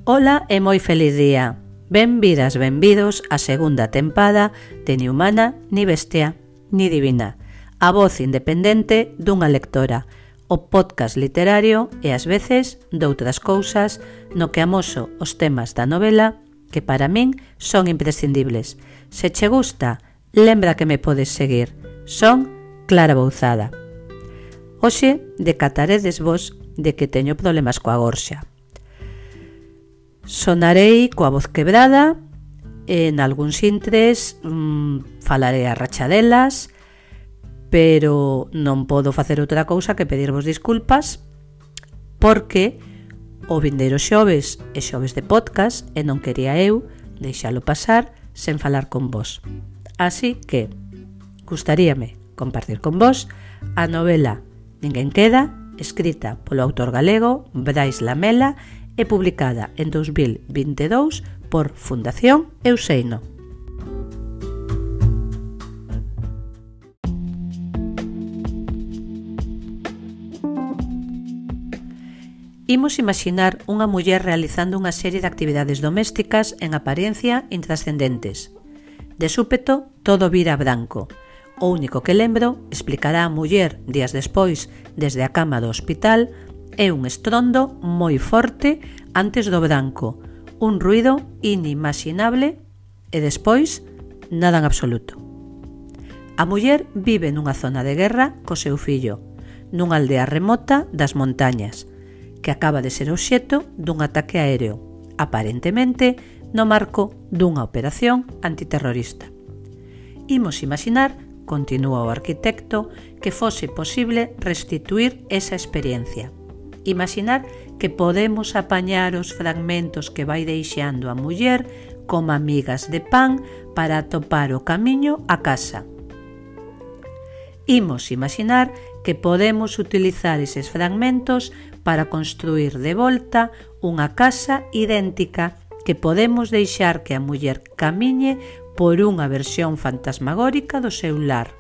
Ola e moi feliz día. Benvidas, benvidos á segunda tempada de Ni humana, ni bestia, ni divina. A voz independente dunha lectora, o podcast literario e ás veces doutras cousas no que amoso os temas da novela que para min son imprescindibles. Se che gusta, lembra que me podes seguir. Son Clara Bouzada. Hoxe decataredes vos de que teño problemas coa gorxa. Sonarei coa voz quebrada, en algúns intres falarei a rachadelas, pero non podo facer outra cousa que pedirvos disculpas porque o vindeiro xoves é xoves de podcast e non quería eu deixalo pasar sen falar con vos. Así que gustaríame compartir con vos a novela Ninguén queda, escrita polo autor galego Brais Lamela e publicada en 2022 por Fundación Euseino. Imos imaxinar unha muller realizando unha serie de actividades domésticas en apariencia intrascendentes. De súpeto, todo vira branco. O único que lembro, explicará a muller días despois desde a cama do hospital, é un estrondo moi forte antes do branco, un ruido inimaginable e despois nada en absoluto. A muller vive nunha zona de guerra co seu fillo, nunha aldea remota das montañas, que acaba de ser obxecto dun ataque aéreo, aparentemente no marco dunha operación antiterrorista. Imos imaginar, continúa o arquitecto, que fose posible restituir esa experiencia. Imaginar que podemos apañar os fragmentos que vai deixando a muller como amigas de pan para atopar o camiño a casa. Imos imaginar que podemos utilizar eses fragmentos para construir de volta unha casa idéntica que podemos deixar que a muller camiñe por unha versión fantasmagórica do seu lar.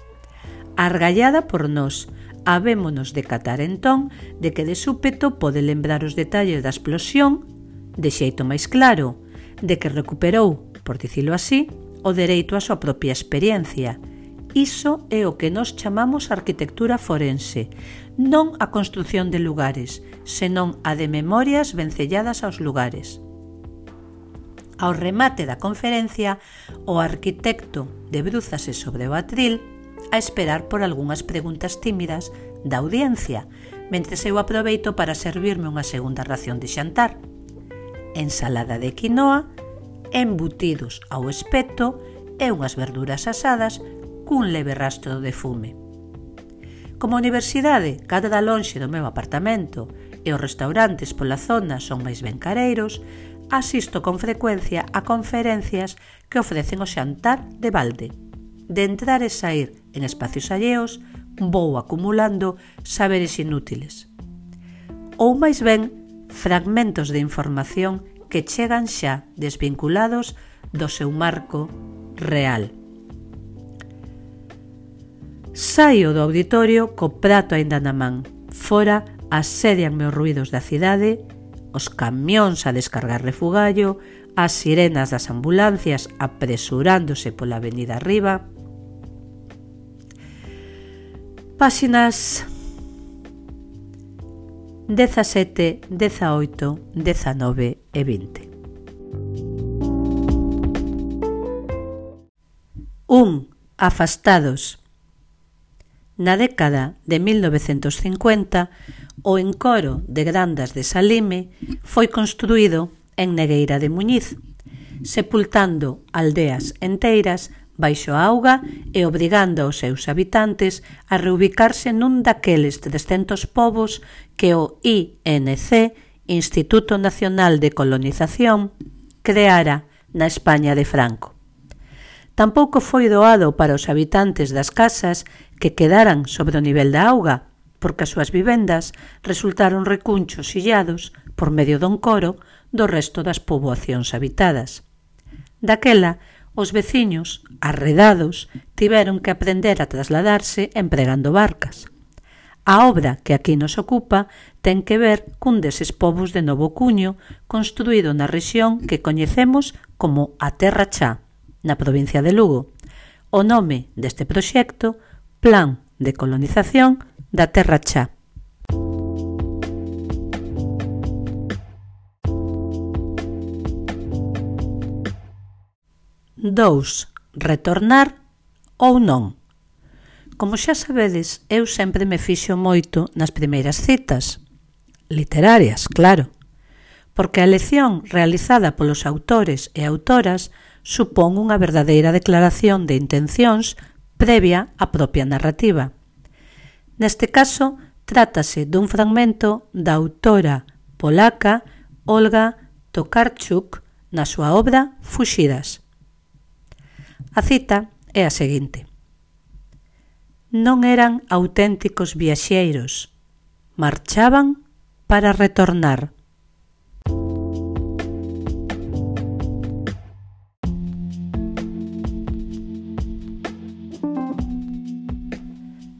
Argallada por nós, habémonos de catar entón de que de súpeto pode lembrar os detalles da explosión de xeito máis claro, de que recuperou, por dicilo así, o dereito á súa propia experiencia. Iso é o que nós chamamos arquitectura forense, non a construción de lugares, senón a de memorias vencelladas aos lugares. Ao remate da conferencia, o arquitecto debrúzase sobre o atril a esperar por algunhas preguntas tímidas da audiencia, mentres eu aproveito para servirme unha segunda ración de xantar. Ensalada de quinoa, embutidos ao espeto e unhas verduras asadas cun leve rastro de fume. Como a universidade cadra lonxe do meu apartamento e os restaurantes pola zona son máis ben careiros, asisto con frecuencia a conferencias que ofrecen o xantar de balde. De entrar e sair en espacios alleos, vou acumulando saberes inútiles. Ou máis ben, fragmentos de información que chegan xa desvinculados do seu marco real. Saio do auditorio co prato aínda na man. Fora asedianme os ruidos da cidade, os camións a descargar refugallo, as sirenas das ambulancias apresurándose pola avenida arriba. Páxinas 17, 18, 19 e 20. 1. Afastados. Na década de 1950, o encoro de Grandas de Salime foi construído en Negueira de Muñiz, sepultando aldeas enteiras baixo a auga e obrigando aos seus habitantes a reubicarse nun daqueles 300 povos que o INC, Instituto Nacional de Colonización, creara na España de Franco. Tampouco foi doado para os habitantes das casas que quedaran sobre o nivel da auga, porque as súas vivendas resultaron recunchos illados por medio do encoro do resto das poboacións habitadas. Daquela, os veciños, arredados, tiveron que aprender a trasladarse empregando barcas. A obra que aquí nos ocupa ten que ver cun deses povos de Novo Cuño construído na rexión que coñecemos como a Terra Chá, na provincia de Lugo. O nome deste proxecto, Plan de Colonización da Terra Chá. Dous, retornar ou non. Como xa sabedes, eu sempre me fixo moito nas primeiras citas, literarias, claro, porque a elección realizada polos autores e autoras supón unha verdadeira declaración de intencións previa á propia narrativa. Neste caso, trátase dun fragmento da autora polaca Olga Tokarczuk na súa obra Fuxidas. A cita é a seguinte: non eran auténticos viaxeiros, marchaban para retornar.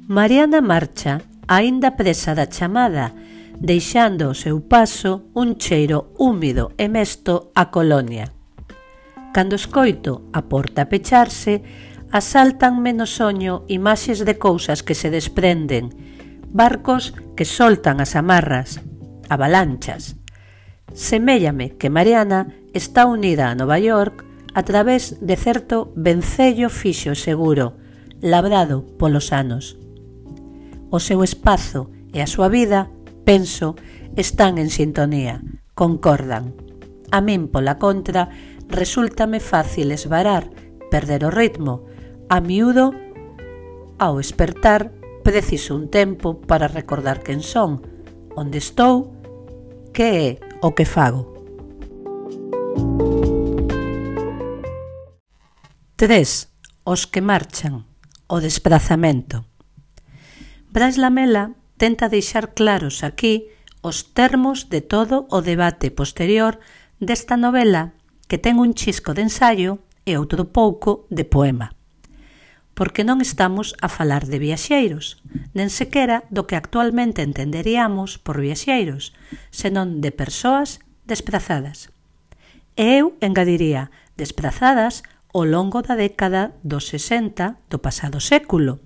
Mariana marcha, aínda presa da chamada, deixando ao seu paso un cheiro húmido e mesto á colonia. Cando escoito a porta pecharse, asaltanme no soño imaxes de cousas que se desprenden, barcos que soltan as amarras, avalanchas. Seméllame que Mariana está unida a Nova York a través de certo vencello fixo e seguro, labrado polos anos. O seu espazo e a súa vida, penso, están en sintonía, concordan. A min, pola contra, resúltame fácil esvarar, perder o ritmo. A miúdo, ao espertar, preciso un tempo para recordar quen son, onde estou, que é o que fago. 3. Os que marchan. O desprazamento. Brais Lamela tenta deixar claros aquí os termos de todo o debate posterior desta novela que ten un chisco de ensaio e outro pouco de poema. Porque non estamos a falar de viaxeiros, nen sequera do que actualmente entenderíamos por viaxeiros, senón de persoas desprazadas. E eu engadiría desprazadas ao longo da década dos 60 do pasado século.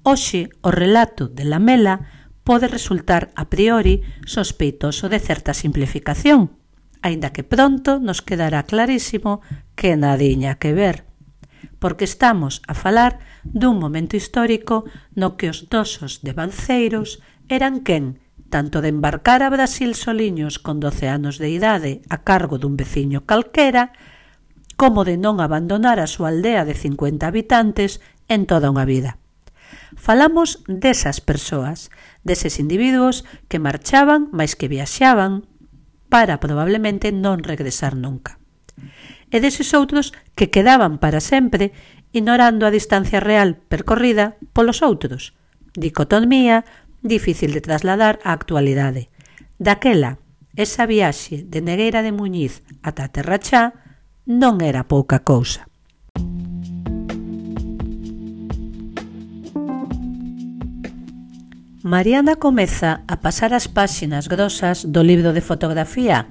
Hoxe, o relato de Lamela pode resultar a priori sospeitoso de certa simplificación, aínda que pronto nos quedará clarísimo que nadiña que ver, porque estamos a falar dun momento histórico no que os dosos de banceiros eran quen, tanto de embarcar a Brasil soliños con 12 anos de idade a cargo dun veciño calquera, como de non abandonar a súa aldea de 50 habitantes en toda unha vida. Falamos desas persoas, deses individuos que marchaban máis que viaxaban para probablemente non regresar nunca. E deses outros que quedaban para sempre ignorando a distancia real percorrida polos outros. Dicotomía difícil de trasladar á actualidade. Daquela, esa viaxe de Negueira de Muñiz ata a Terra Chá non era pouca cousa. Mariana comeza a pasar as páxinas grosas do libro de fotografía.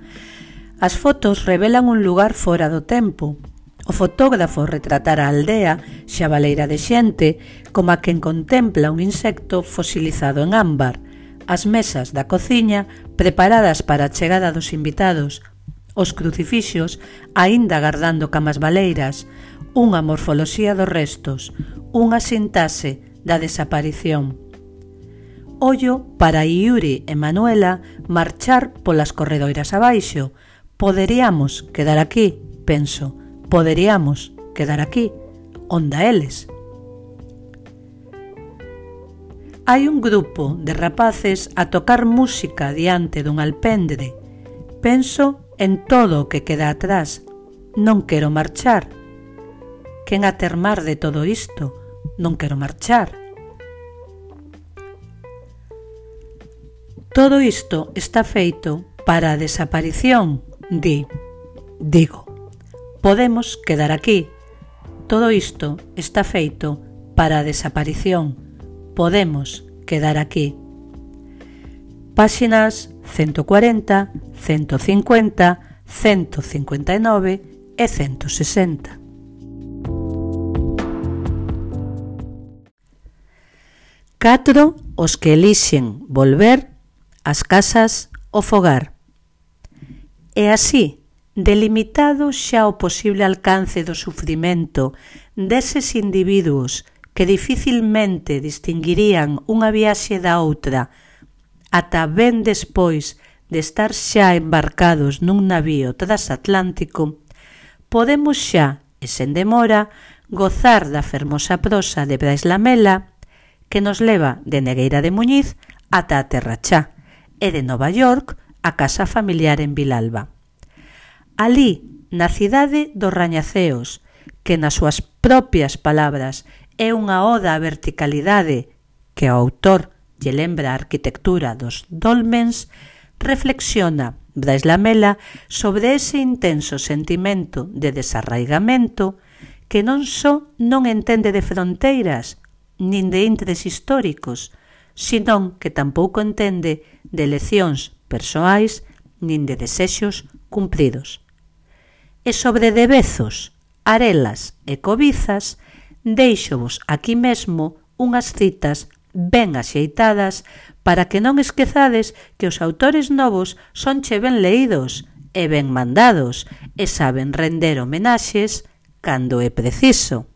As fotos revelan un lugar fora do tempo. O fotógrafo retratar a aldea, xabaleira de xente, como a quen contempla un insecto fosilizado en ámbar, as mesas da cociña preparadas para a chegada dos invitados, os crucifixos aínda gardando camas baleiras, unha morfoloxía dos restos, unha sintaxe da desaparición. Ollo para Yuri e Manuela marchar polas corredoiras abaixo. Poderíamos quedar aquí, penso, poderíamos quedar aquí, onda eles. Hai un grupo de rapaces a tocar música diante dun alpendre. Penso en todo o que queda atrás. Non quero marchar. Quen a termar de todo isto? Non quero marchar. Todo isto está feito para a desaparición, digo. Podemos quedar aquí. Todo isto está feito para a desaparición. Podemos quedar aquí. páxinas 140, 150, 159 e 160. Catro os que elixen volver ás casas ao fogar. E así, delimitado xa o posible alcance do sufrimento deses individuos que dificilmente distinguirían unha viaxe da outra ata ben despois de estar xa embarcados nun navío transatlántico, podemos xa, e sen demora, gozar da fermosa prosa de Brais Lamela que nos leva de Negueira de Muñiz ata a Terra Chá e de Nova York a casa familiar en Vilalba. Alí, na cidade dos rañaceos, que nas súas propias palabras é unha oda á verticalidade que ao autor lle lembra a arquitectura dos dólmens, reflexiona Brais Lamela sobre ese intenso sentimento de desarraigamento que non só non entende de fronteiras nin de intres históricos, senón que tampouco entende de eleccións persoais nin de desexos cumpridos. E sobre debezos, arelas e cobizas, deixovos aquí mesmo unhas citas ben axeitadas para que non esquezades que os autores novos sonche ben leídos e ben mandados e saben render homenaxes cando é preciso.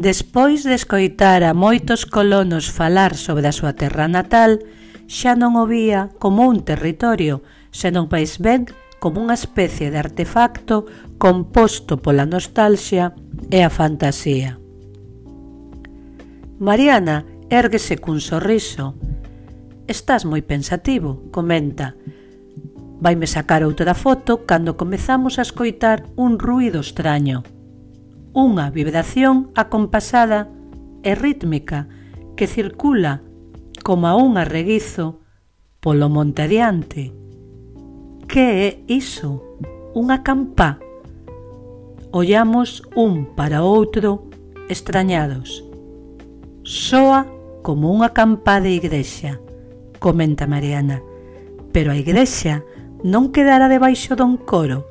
Despois de escoitar a moitos colonos falar sobre a súa terra natal, xa non o vía como un territorio, senón máis ben como unha especie de artefacto composto pola nostalgia e a fantasía. Mariana érguese cun sorriso. Estás moi pensativo, comenta. Vaime sacar outra foto cando comezamos a escoitar un ruído extraño. Unha vibración acompasada e rítmica que circula como a un arreguizo polo monte adiante. Que é iso? Unha campá? Ollamos un para outro extrañados. Soa como unha campá de igrexa, comenta Mariana, pero a igrexa non quedará debaixo dun coro.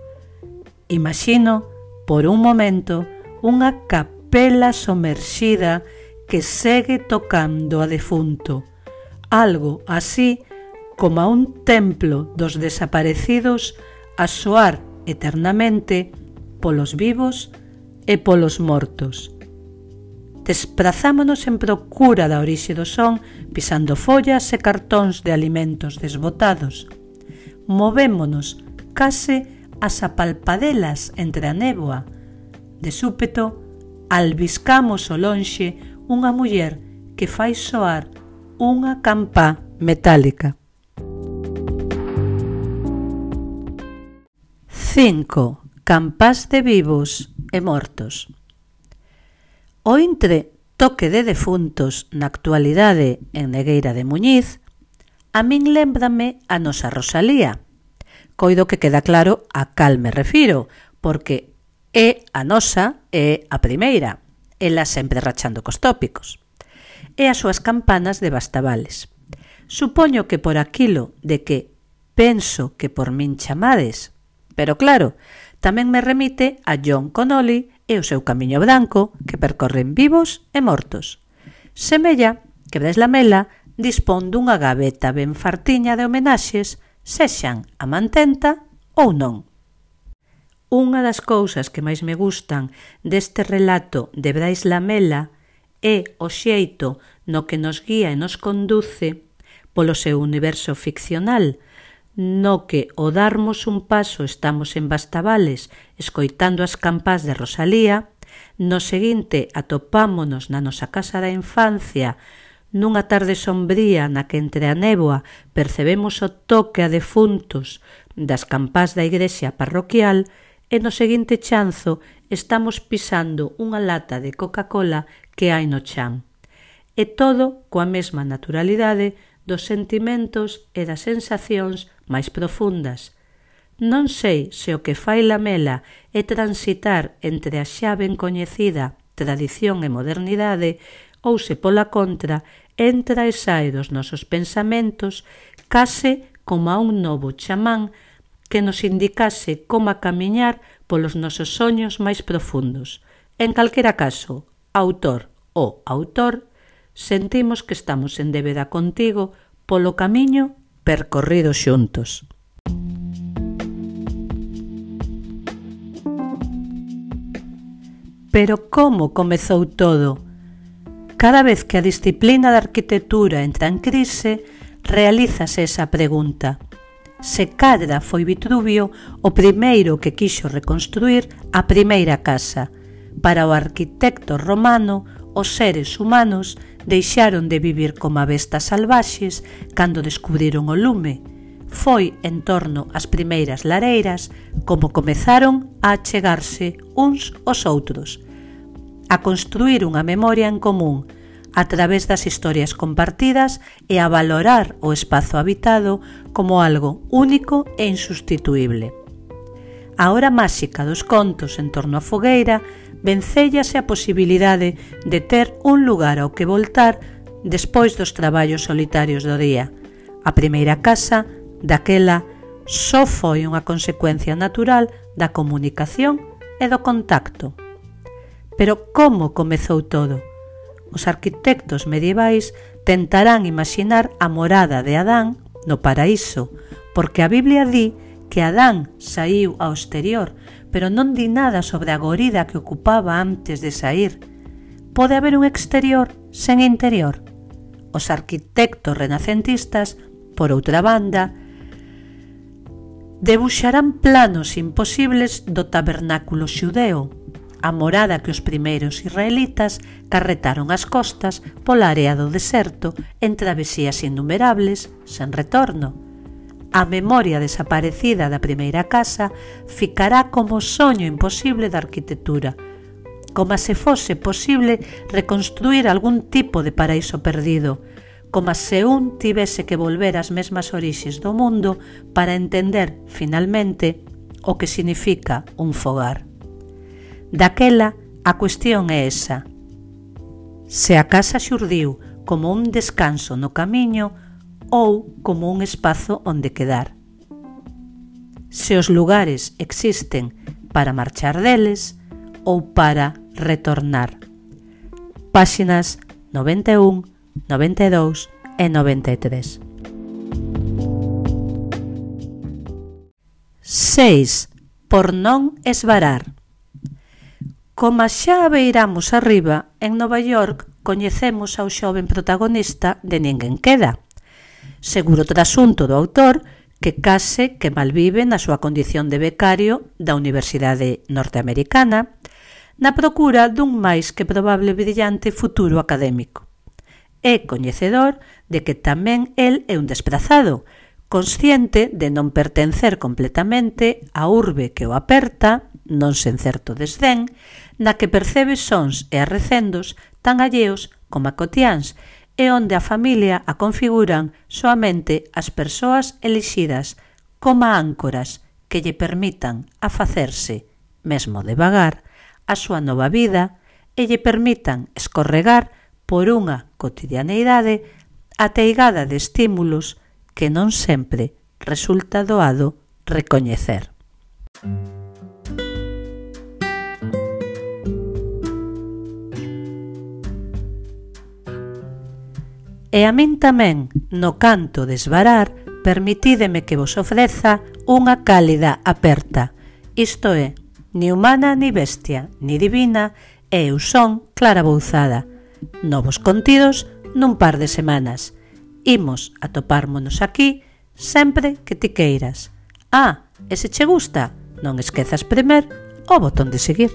Imagino, por un momento, unha capela somerxida que segue tocando a defunto, algo así como a un templo dos desaparecidos a soar eternamente polos vivos e polos mortos. Desprazámonos en procura da orixe do son, pisando follas e cartóns de alimentos desbotados. Movémonos case as apalpadelas entre a néboa. De súpeto, albiscamos ao lonxe unha muller que fai soar unha campá metálica. 5. Campás de vivos e mortos. O intre toque de defuntos na actualidade en Negueira de Muñiz, a min lémbrame a nosa Rosalía. Coido que queda claro a cal me refiro, porque é a nosa é a primeira, ela sempre rachando cos tópicos, e as súas campanas de Bastavales. Supoño que por aquilo de que penso que por min chamades, pero claro, tamén me remite a John Connolly e o seu camiño branco que percorren vivos e mortos. Semella que Brais Lamela dispón dunha gaveta ben fartiña de homenaxes, sexan a mantenta ou non. Unha das cousas que máis me gustan deste relato de Brais Lamela é o xeito no que nos guía e nos conduce polo seu universo ficcional, no que ao darmos un paso estamos en Bastavales escoitando as campás de Rosalía, no seguinte atopámonos na nosa casa da infancia nunha tarde sombría na que entre a néboa percebemos o toque a defuntos das campás da igrexa parroquial e no seguinte chanzo estamos pisando unha lata de Coca-Cola que hai no chan. E todo coa mesma naturalidade dos sentimentos e das sensacións máis profundas. Non sei se o que fai Lamela é transitar entre a xa ben coñecida tradición e modernidade, ou se pola contra, entra e sae dos nosos pensamentos case como a un novo chamán que nos indicase como a camiñar polos nosos soños máis profundos. En calquera caso, autor ou autor, sentimos que estamos en débeda contigo polo camiño percorrido xuntos. Pero como comezou todo? Cada vez que a disciplina da arquitectura entra en crise, realízase esa pregunta. Se cadra foi Vitruvio o primeiro que quixo reconstruir a primeira casa. Para o arquitecto romano, os seres humanos deixaron de vivir como bestas salvaxes cando descubriron o lume. Foi en torno ás primeiras lareiras como comezaron a achegarse uns aos outros, a construir unha memoria en común a través das historias compartidas e a valorar o espazo habitado como algo único e insustituíble. A hora máxica dos contos en torno á fogueira vencéllase a posibilidade de ter un lugar ao que voltar despois dos traballos solitarios do día. A primeira casa, daquela, só foi unha consecuencia natural da comunicación e do contacto. Pero como comezou todo? Os arquitectos medievais tentarán imaxinar a morada de Adán no paraíso, porque a Biblia di que Adán saíu ao exterior, pero non di nada sobre a gorida que ocupaba antes de saír. Pode haber un exterior sen interior? Os arquitectos renacentistas, por outra banda, debuxarán planos imposibles do tabernáculo xudeo, a morada que os primeiros israelitas carretaron ás costas pola area do deserto en travesías innumerables, sen retorno. A memoria desaparecida da primeira casa ficará como soño imposible da arquitectura, como se fose posible reconstruir algún tipo de paraíso perdido, como se un tivese que volver ás mesmas orixes do mundo para entender, finalmente, o que significa un fogar. Daquela, a cuestión é esa. Se a casa xurdiu como un descanso no camiño ou como un espazo onde quedar. Se os lugares existen para marchar deles ou para retornar. Páxinas 91, 92 e 93. 6. Por non esvarar. Como xa beiramos arriba, en Nova York coñecemos ao xoven protagonista de Ninguén Queda. Seguro trasunto do autor que case que malvive na súa condición de becario da Universidade Norteamericana, na procura dun máis que probable brillante futuro académico. É coñecedor de que tamén el é un desprazado, consciente de non pertencer completamente á urbe que o aperta, non sen certo desdén, na que percebe sons e arrecendos tan alleos como a cotiáns, e onde a familia a configuran soamente as persoas elixidas como áncoras que lle permitan a facerse, mesmo devagar, a súa nova vida e lle permitan escorregar por unha cotidianeidade ateigada de estímulos que non sempre resulta doado recoñecer. E a min tamén, no canto de esvarar, permitídeme que vos ofreza unha cálida aperta, isto é, ni humana ni bestia, ni divina, e eu son Clara Bouzada. Novos contidos nun par de semanas. Imos atopármonos aquí sempre que ti queiras. E se che gusta, non esquezas premer o botón de seguir.